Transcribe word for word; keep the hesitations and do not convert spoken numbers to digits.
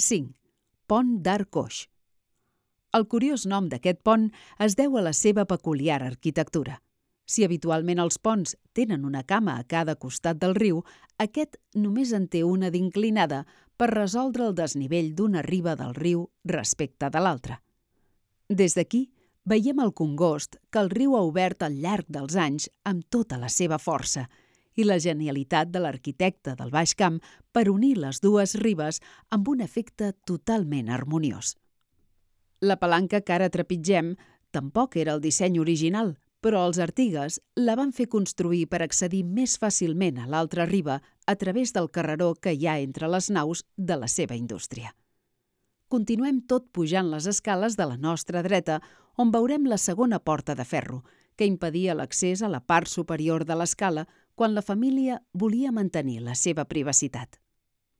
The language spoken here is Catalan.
cinc. Pont d'Arc Coix. El curiós nom d'aquest pont es deu a la seva peculiar arquitectura. Si habitualment els ponts tenen una cama a cada costat del riu, aquest només en té una d'inclinada per resoldre el desnivell d'una riba del riu respecte de l'altra. Des d'aquí, veiem el congost que el riu ha obert al llarg dels anys amb tota la seva força i la genialitat de l'arquitecte del Baix Camp per unir les dues ribes amb un efecte totalment harmoniós. La palanca que ara trepitgem tampoc era el disseny original, però els Artigues la van fer construir per accedir més fàcilment a l'altra riba a través del carreró que hi ha entre les naus de la seva indústria. Continuem tot pujant les escales de la nostra dreta, on veurem la segona porta de ferro, que impedia l'accés a la part superior de l'escala quan la família volia mantenir la seva privacitat.